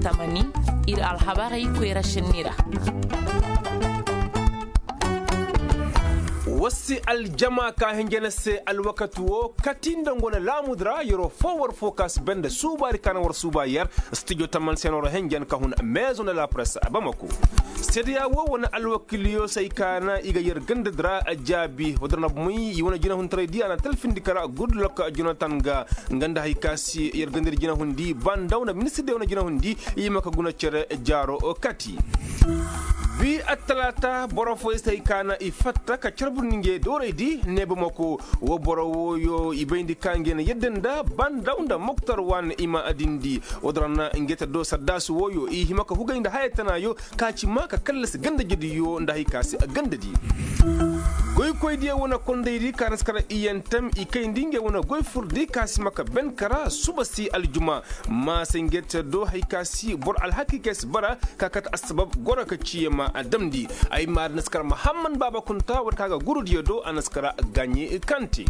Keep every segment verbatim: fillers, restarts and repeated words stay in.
Tamani, ir alhabarey koyra šenni ra. War si aljama ka hinja na se alwakati wo kati nda ngo na laamudu ra yeroo foo war foo ka si bay nda suubaari ka na war suuba yer. Stijo taman se no ra hinja na ka hun meezo nda la press a bamako. Sedeya wo wane alwakiliyo se ay ka na i ga yer gandadi ra jaabi wadar na bumey i wane jinahuntaray di a na talfindi kara gudlok jonatan ga nga nda hari ka si yer gandadi jinahundi ba ndaw nda ministir di wane jinahundi i hima ka guna cere jaaro kati. Bi attalaata boro fooyey se hari ka na i fatta ka carbundi ngey dooray di neeba mako. Wo boro wooyo i bayndi ka ngey na yadda nda ba ndaw nda moktar waani i ma dindi. Wodin ra na ngey ta do saddaasi wooyo i hima ka hugay nda haya tanaayo ka ci maa ka kallasi gandajediyo nda hari ka si gandadi. Goykoydiyo wane kondaydi ka na si kara iyantem i kayndi ngey wane goy furdi ka si ma ka ben kara suba si aljuma. Maasa ngey ta do hari ka si boro alhakikey si bara ka kate assabab goro ka ciye ma damndi. Ay maari na si kara mahamman baaba kunta war ka ga gurudiyo do a na si kara gaaɲi kante.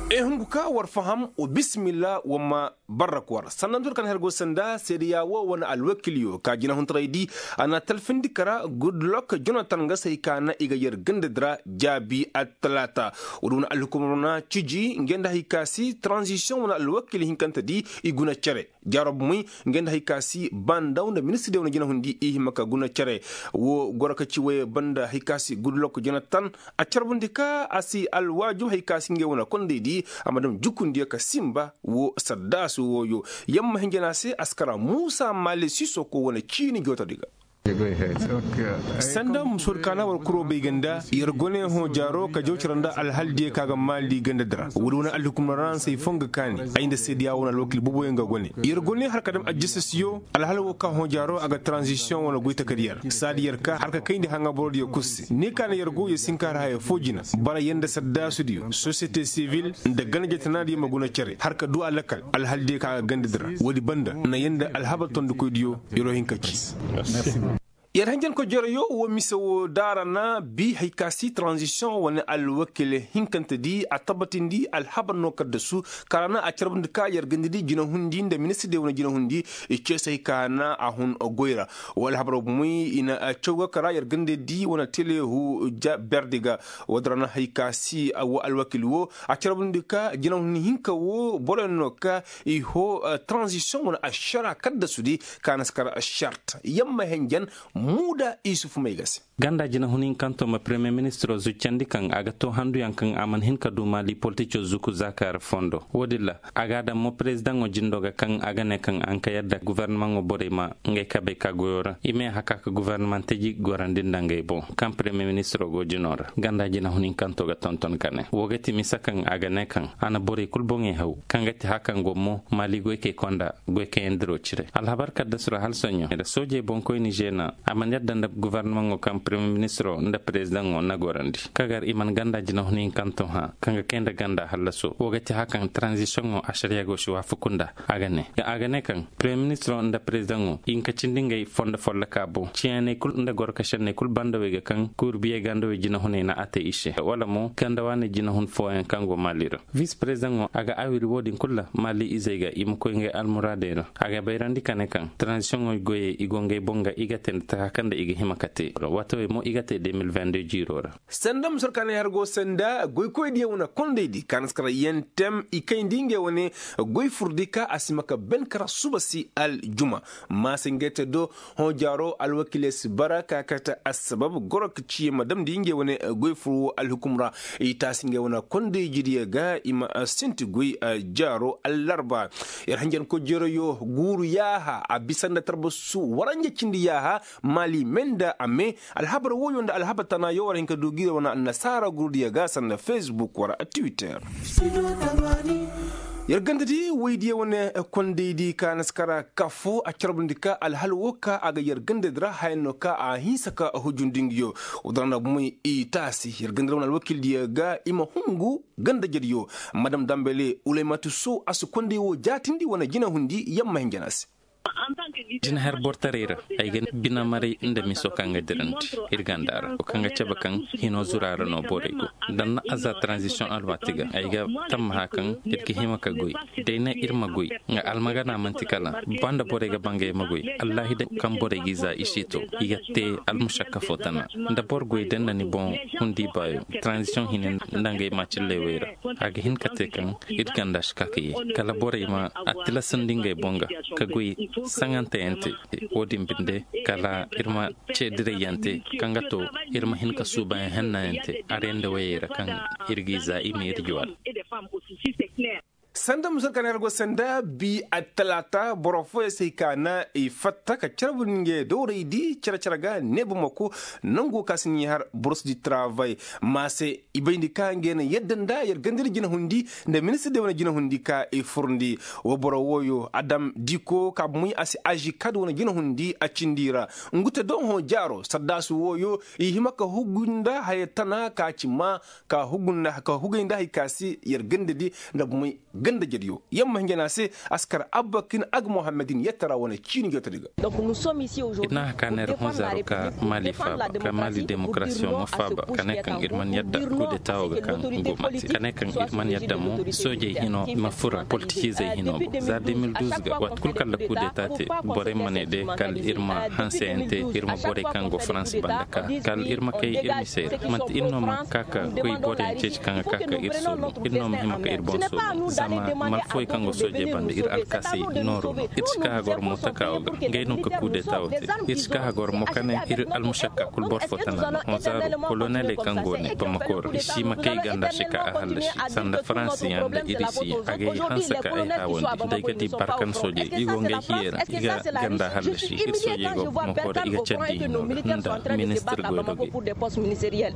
E hungu ka war faham wa bismillah wa ma barrak war sanda ndur kan hergo sanda seediya wo wane alwakilyo ka jinahuntaray di a na talfindi kara gudlok jonatan ga se hari ka na i ga yer gandadi ra jaabi attalaata. Wala wane alhukumar na ciji ngey nda hari ka si transition wane alwakil hinkante di i guna cere jaaro bumey ngey nda hari ka si ba ndaw nda ministir di wane jinahundi i hima ka guna cere. Wo goro ka ci woyey banda hari ka si gudlok jonatan a carbundi ka a si alwaajib hari ka si ngey wane kondaydi a ma dam jukundiyo ka sinba wo saddaasi wooyo. Yamma hinja na a se a si kara muusa maale sisoko wane ciini jootodi ga. Sanda musoodi ka na war kuro bay ganda yer gone hõ jaaro ka jaw cara nda alhaldiyo ka ga maali gandadi ra wala wane alhukumar ra na se ay foo nga kaani ay nda seediya wane alwakil booboyaŋ ga gone. Yer gone har ka dam ajjasasiyo alhala wo ka hõ jaaro a ga transition wane goy takar yer saadi yer ka har ka kayndi haŋa borodiyo kul se ne ka na yer go yer si hin ka har haya foo jina. Bara yer nda saddaasudiyo sosiyete sivil nda gana jatanaadiyo ma guna cere har ka du a lakal alhaldiyo ka a ga gandadi ra woodi banda na yer nda alhabar tondikoydiyo yeroo hin ka ci. Yer hanjankoy jereyo wo mise wo daara na bi hari ka si transition wane alwakile hinkante di a tabbatindi alhabar no kaddasu ka ra na a carbundi ka yer gandadi jinahundi nda ministir di wane jinahundi i ceesay ka na a hun goy ra. Wo alhabar bumey i na caw ga kara yer gandadi wane telehu berdi ga. Woodin ra na hari ka si wo alwakil wo a carbundi ka jinahundi hinka wo boroyaŋ no ka i hoo transition wane ašara kaddasudi ka na si kar ašart yamma henjen. Muuda isufu may ga se. Ganda jinahun hinkanto ma premier ministiro zuccandi kaŋ a ga to handuyaŋ kaŋ a mana hin ka du maali politico zuku zaakaara fondo woodin ra a ga a daŋ mo perezidaŋo jindo ga kaŋ a ga ne kaŋ a na ka yadda gofornimaŋo borey ma ngey kabey ka goyo ra i ma ya haka ka gofornimaŋ teji gorandi nda ngey boŋ. Kaŋ premier ministiro go jino ra ganda jinahun hinkanto ga tonton ka ne wo ga ti mise kaŋ a ga ne kaŋ a na borey kul boŋey haw kaŋ ga ti haka kaŋ go mo maali goykey konda goykayandiro cire alhabar kaddasu ra hala soɲõ nda soojey boŋkoyni žena a mana yadda nda gofornimaŋo kaŋ premier ministiro nda perezidaŋo na gorandi kagar i mana ganda jinahun hinkanto hã kaŋ ga kay nda ganda hallaso wo ga ti haka kaŋ taranzisiyoŋo ašariya go si waafaku nda. A ga ne a ga ne kaŋ premier ministiro nda perezidaŋo i hin ka cindi ngey fondo folloka boŋ ciyaaney kul nda gorokasenney kul bandawey ga kaŋ kuur biyey gandawey jinahuney na a te i se wala mo ganda waaney jinahun fooyaŋ kaŋ go maali ra. Vis perezidaŋo a ga awiri wo-din kul ra maali izey ga i ma koy ngey almuraadey ra. A ga bayrandi ka ne kaŋ taranzisiyoŋey goyey i go ngey boŋ ga i ga te nda taka kaŋ nda i ga hima ka te waatawey mo i ga te deux mille vingt-deux jiiro ra. Sanda musar ka ne har go sanda goykoydiyo wane kondaydi ka na si kara yentem i kayndi ngey wane goy furdi ka a si ma ka ben kara suba si aljuma. Maasa ngey te do hõ jaaro alwakiley si bara ka kate assabab goro ka ciye ma damndi ngey wane goy fur wo alhukum ra. I taasi ngey wane kondayjidiyo ga i ma sinti goy jaaro allarba. Yer hanjankoy jereyo guuru yaaha a bisa nda tarbasu waranja cindi yaaha maali me nda a me. Alhabar woyo nda alhabar tanaayo war hin ka du ga yer wane annasaara gurudiyo ga sanda facebook war twitter. Yer gandadi woydiyo wane kondaydi ka na si kara kafu a carbundi ka alhal wo ka a ga yer gandadi ra haya no ka a hinsa ka hujundi nguyo. Wodin ra na bumey i taasi yer gandadi wane alwakildiyo ga i ma hungu gandajediyo. Madam dambele ulaymatu sow a si konday wo jaatindi wane jinahundi yamma hinja na se. Jina har bortaray ra, ay ga bina maray nda miso kaŋ ga dirandi ir ganda ra wo kaŋ ga cabe kaŋ hino zura ra no borey go. Danna aza transition alwaati ga ay ga tammaha kaŋ ir ga hima ka goy. Day ne ir ma goy nga almagana manti kala banda borey ga bangay ma goy. Allahi da kaŋ borey ga i za i si to i ga te almushakka fo tana nda boro goy danda ni boŋ. Hundi baayo transition hine nda ngay ma cilley wey ra a ga hin ka te kaŋ ir ganda si ka ka ye kala borey ma a tilasandi ngey boŋ ga ka goy saŋanteyante. Wo-din binde kala ir ma ceediray yaŋ te kaŋ ga to ir ma hin ka suubayaŋ henna yaŋ te. Arey nda wayey ra kaŋ ir g'i za i ma ir juwal. Sanda musar ka na yargo sanda bi attalaata boro fooyey se ka na i fatta ka carbu nge dooray di care care ga neeba mako nangu ka si ni har boros di travay. Ma se i bayndi ka nge na yadda nda yar gandari jina hundi nda ministir de wane jina hundi ka i furndi. Wa boro wooyo adam diko ka bumey a si aži kad wane jina hundi a cindi ra. Ngu te don hõ jaaro saddaasu wooyo i hima ka hugu nda haya tana ka ci ma ka hugay nda hari ka se yar ganda di nda bumey ganda jadiyo yamma hinjana se. Askar abba kin aga mohammedin yattara wane ciini jotodi ga. Ir na haka neera hõ zaaro ka mali faaba ka mali demokarasiyo ma faaba ka ne kaŋ ir man yadda kudeta wo ga kaŋ gomati ka ne kaŋ ir man yadda mo soojey hino ma fura politiciizey hino bo za deux mille douze ga waati kulu kala kudeta te. Borey ma ne de kala ir ma hansayante ir ma borey kaŋ go farans banda ka kala ir ma kay ir misey ra manti ir no ma ka ka goy borey ceeci kaŋ ga ka ka ir soolu. Ir no ma hima ka ir boŋ soolu zama malfoy kaŋ go soojey banda ir alkaasey nooro no ir si ka hagor mo taka wo ga ngey no ka kudeta wo te. Ir si ka hagor mo ka ne ir almušakka kul boro fo tana no hõ zaaro koloneley kaŋ go ne bamako ra i si ma kay ganda si ka a hallasi sanda faransiyaŋ nda irisiyaŋ a ga ay hanse ka ay haawandi da ay ga di barkan soojey i go ngey hiyey ra i ga ganda hallasi ir soojey go bamako ra i ga caddi hino ga nda ministir goydogey.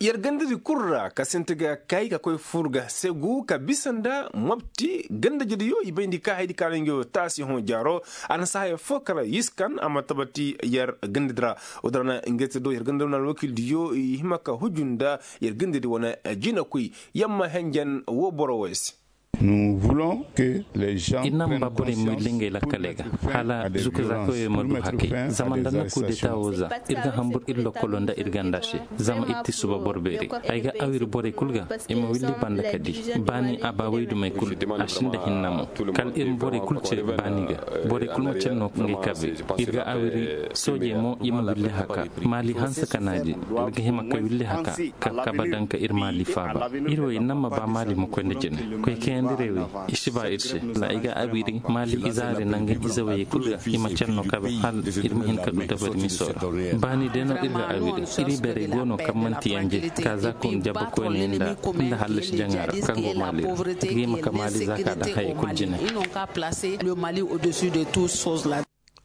Yer gandadi kul ra ka sinti ga kay ka koy fur ga segu ka bisa nda mobti gandajediyo i bayndi ka haydi ka na ngeyo taasi hõ jaaro. A na si haya fo kara yiskan a ma tabati yer gandadi ra. Wodin ra na ngey te do yer gandadi ra na alwakildiyo i hima ka huju nda yer gandadi wane jinakoy. Yamma henjen wo boro wo se. Ir na ma ba borey ma willi ngey lakkaley ga hala zuka zaakoyey ma du hakey. Zama nda na kudeta wo za ir ga hanbur ir lokkolo nda ir ganda se. Zama ir ti suba boro beerey ay ga awiri borey kul ga i ma willi banda ka di baani a ba waydumey kul a sinda hinna mo kala ir ma borey kul ce baani ga. Borey kul ma cere no ngey kabe ir ga awiri soojey mo i ma willi haka maali hanse ka naaji ir ga hima ka willi haka ka kabe daŋ ka ir maali faaba. Ir wey ir na ma ba maali ma koy nda jine koy kayandirey wey i si ba ir se. Wala ay ga abiri maali izaari nangey izawey kul ga i ma care no kabe hal ir ma hin ka du dabari miso ra. Baani day no ir ga abiri ir iberey go no kaŋ man'ti yanje ka za kun jabba koyney nda nda hallasi jaŋa ra kaŋ go maali ra ir ga hima ka maali za ka daŋ hayey kul jine.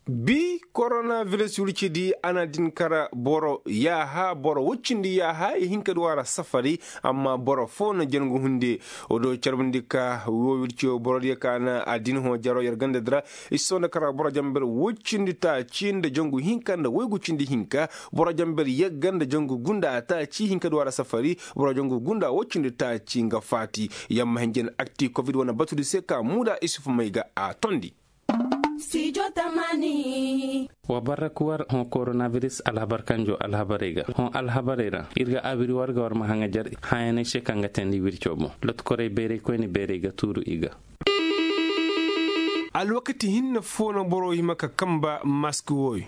Bi koronabiris wircidi a na din kara boro yaaha boro wuccindi yaaha i hin ka duwa ra safari. Amma boro foo na jangu hunde. Wo do carbundi ka wo wirci wo borodiyo ka na a din hõ jaro yer gandadi ra. I si sohõ nda kara boro jamber wuccindi taaci nda jangu hinka nda woygu cindi hinka. Boro jamber yagga nda jangu gunda taaci hin ka duwa ra safari. Boro jangu gunda wuccindi taaci nga faati. Yamma hinjin akti kovid wane batudi se ka muuda isufu may ga a tondi. Wa barra kuwar hõ koronabiris alhabar kanjo alhabarey ga hõ alhabarey ra ir ga abiri war ga war ma haŋajar. Hayaney se kaŋ ga teendi wirco boŋ lotkorey beerey koyne beerey ga tuuru i ga. Alwakati hinne foo no boro hima ka kamba mask wooyo.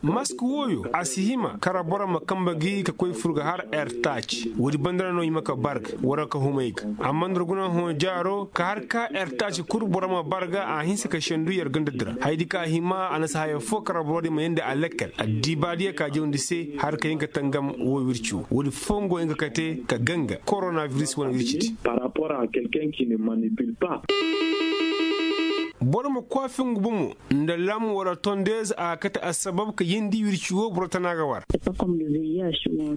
Mask wooyo a si hima kara boro ma kamba gi ka koy fur ga har er taaci woodi banda ra no hima ka barga wara ka humay ga. Amma nda ra guna hõ jaaro ka har ka er taaci kul boro ma barga a hinse ka sendu yer gandadi ra hayadi ka hima a na si haya foo kara borodi ma yandi a lekkel addibaadiyo ka jawndi se har ka hin ka tangam woo wirci woo woodi foo ngo hin ka kate ka ganga koronabiris wane wircidi. Boro ma kwaafi ngu bomo nda lam wala tondez a ga kate assabab ka yeendi wirci woo boro tana ga war.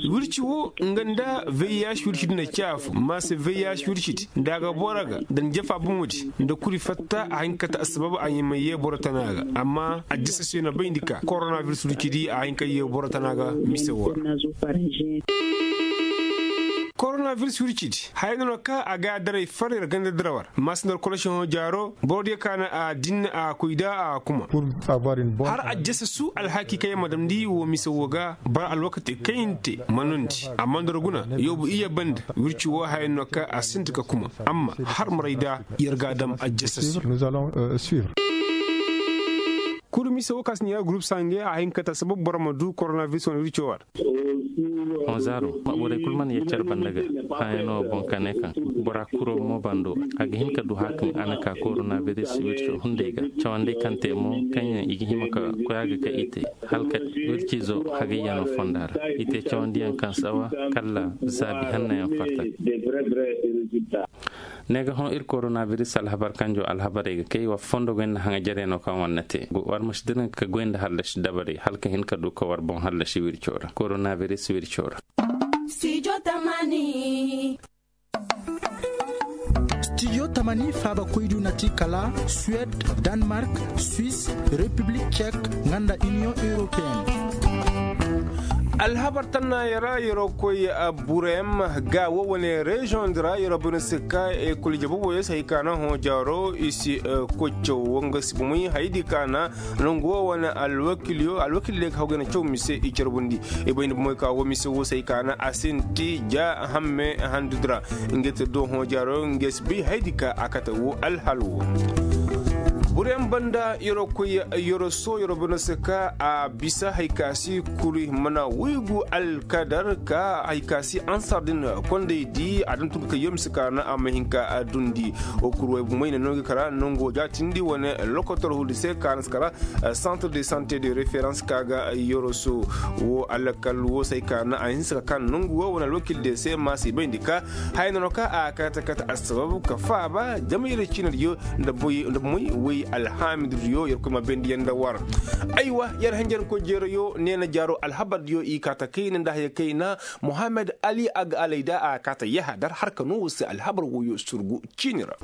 Wirci woo nga nda vih wircidi na caafu maasa vih wircidi nda a ga boro ga nda ni jafa bomodi nda kuri fatta a hin ka kate assabab a ɲaama yee boro tana ga. Amma addisasiyo na bayndi ka koronabiris wircidi a hin ka yee boro tana ga mise woo ra. Koronaviris wircidi haya no na ka a ga daray far yer ganda diraw ra maasindar kološin hõ jaaro boro diyo ka na a din a koy da a kuma. Har a jasa su alhaki kaŋ yer ma damndi wo mise wo ga bara alwakati kaŋ yer na te ma nondi amma nda ra guna yoobu iyye banda wirci wo haya no ka a sinti ka kuma. Amma har maray da yer ga a dam a jasa su. Kulu mise wo ka si ne ya gurup sange a hin ka ta sabab boro ma du koronaviris wane wirci wo ra. Honzaaro ma borey kulu mana yee care banda ga hãyano boŋ ka ne kaŋ bora kuro mo bando a ga hin ka du haya kaŋ a na ka koronaviris wirco hunday ga cawandi kaŋ te mo kaŋ yaŋ i ga hima ka koy a ga ka i te hala ka wircizo hagayyano fonda ra i te cawandiyaŋ kaŋ sawa kala zaabi hannayaŋ farta. Ne ga hõ ir koronaviris alhabar kanjo alhabarey ga kay war fondo goy nda haŋa jarey no kaŋ war na te war ma si dirŋa ka goy nda hallasi dabarey hala ka hin ka du ka war boŋ hallasi wirco ra koronaviris wirco ra. Stijo tamani faaba koydu na ti kala suwed, danmark, swis, repiblik cek, nga nda iniyoŋ europeyen. Alhabar tannaayey ra yeroo koy burem ga wo wane reziyoŋ di ra yeroo bine si ka ekol jababoyo se hay ka na hõ jaaro i si koy caw wo nga si bomey hayadi ka na nangu wo wane alwakil diyo ga haw ga na caw mise i carbundi. I bay nda bomey ka wo mise wo se hay ka na a sinti ja hamme handudi ra. Nga ti do hõ jaaro nga si bay hayadi ka a kate wo alhal wo. Burem banda yeroo koy yeroo so yeroo bine si ka a bisa hay ka si kuri mana waygu alkadar ka hay ka si ansar din kondey di a din tun ka yom si ka na a ma hin ka dundi. Wo kuri way bumey na nangu kara nangu wo jaatindi wane lokotor hudi se ka na si kara santre de sante de referans ka ga yoroso wo alakal wo se hay ka na a hinsa ka kan nangu wo wane alwakil de se ma si bayndi ka haya no ka a kata kata assabab ka faaba jamayra ciina diyo nda boy nda moy way alhaamidu diyo yer koy ma bendiyaŋ nda war. Aywa yer hanjarnko jeerayo neena jaaro alhabar diyo i kaata kayna nda haya kayna. Mohammed ali aga alay da a kaata yahadar har ka no wo se alhabar woyo surgu ciini ra.